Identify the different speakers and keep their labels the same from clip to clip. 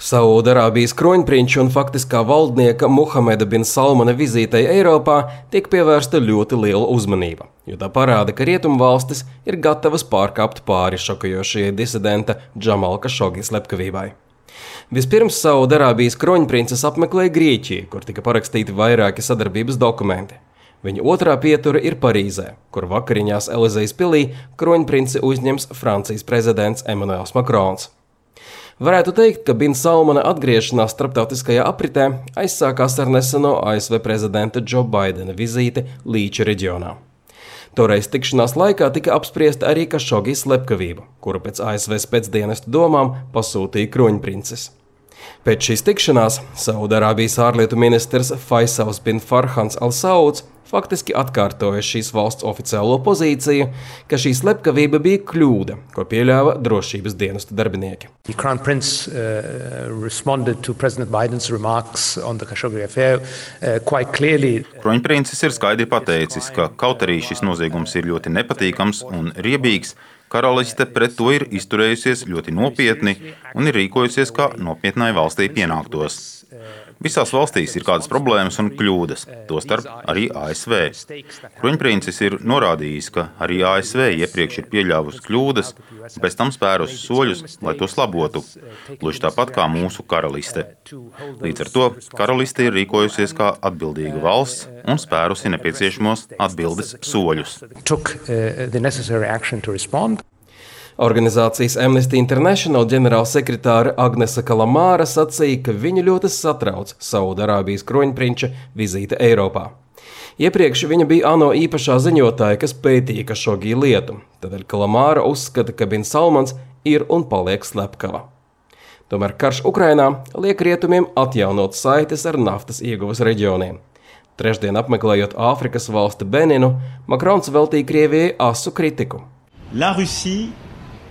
Speaker 1: Saudarābijas kroņprinča un faktiskā valdnieka Muhameda bin Salmana vizītei Eiropā tiek pievērsta ļoti liela uzmanība, jo tā parāda, ka rietumvalstis ir gatavas pārkāpt pāri šokējošajai disidenta Džamala Kašogi slepkavībai. Vispirms Saudarābijas kroņprinces apmeklēja Grieķiju, kur tika parakstīti vairāki sadarbības dokumenti. Viņa otrā pietura ir Parīzē, kur vakariņās Elizejas pilī kroņprinci uzņems Francijas prezidents Emmanuels Macrons. Varētu teikt, ka Bin Salmana atgriešanās starptautiskajā apritē aizsākās ar neseno ASV prezidenta Joe Bidena vizīti Līča reģionā. Toreiz tikšanās laikā tika apspriesta arī Kašogi slepkavība, kuru pēc ASV spēcdienestu domām pasūtīja kroņprinces. Pēc šīs tikšanās Saudarābijas ārlietu ministrs Faisals bin Farhans al-Sauds faktiski atkārtoja šīs valsts oficiālo pozīciju, ka šī slepkavība bija kļūda, ko pieļāva drošības dienestu darbinieki.
Speaker 2: The Crown Prince responded to President Biden's remarks on the Khashoggi affair quite clearly.
Speaker 3: Kroņprincis ir skaidri pateicis, ka kaut arī šis noziegums ir ļoti nepatīkams un riebīgs, karaliste pret to ir izturējusies ļoti nopietni un ir rīkojusies, kā nopietnai valstī pienāktos. Visās valstīs ir kādas problēmas un kļūdas, tostarp arī ASV. Kroņprincis ir norādījis, ka arī ASV iepriekš ir pieļāvusi kļūdas un pēc tam spērusi soļus, lai tos labotu, gluži tāpat kā mūsu karaliste. Līdz ar to karaliste ir rīkojusies kā atbildīga valsts un spērusi nepieciešamos atbildes soļus.
Speaker 1: Organizācijas Amnesty International ģenerālsekretāre Agnese Kalamāra sacīja, ka viņu ļoti satrauc Saudarābijas kroņprinča vizīte Eiropā. Iepriekš viņa bija ANO īpašā ziņotāja, kas pētīja Kašogi lietu, tādēļ Kalamāra uzskata, ka Bin Salmans ir un paliek slepkava. Tomēr karš Ukrainā liek rietumiem atjaunot saites ar naftas ieguvas reģioniem. Trešdien apmeklējot Āfrikas valsti Beninu, Macrons veltīja Krievijai asu kritiku.
Speaker 4: La Russie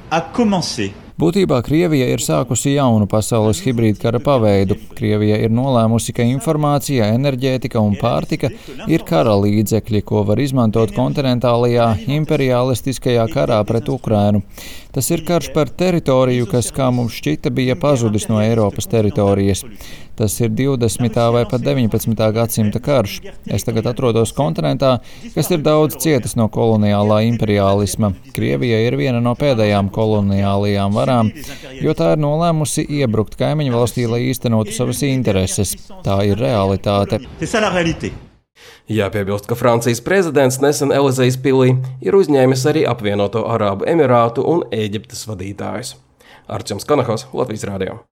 Speaker 4: a commencé.
Speaker 5: Būtībā Krievija ir sākusi jaunu pasaules hibrīda kara paveidu. Krievija ir nolēmusi, ka informācija, enerģētika un pārtika ir kara līdzekļi, ko var izmantot kontinentālajā imperialistiskajā karā pret Ukrainu. Tas ir karš par teritoriju, kas, kā mums šķita, bija pazudis no Eiropas teritorijas. Tas ir 20. vai pat 19. gadsimta karš. Es tagad atrodos kontinentā, kas ir daudz cietis no koloniālā imperiālisma. Krievija ir viena no pēdējām koloniālajām varām, jo tā ir nolēmusi iebrukt kaimiņu valstī, lai īstenotu savas intereses. Tā ir realitāte.
Speaker 1: Jāpiebilst, ka Francijas prezidents nesen Elizejas pilī ir uzņēmis arī apvienoto Arābu Emirātu un Ēģiptes vadītājus. Arčuns Kanahos, Latvijas radio.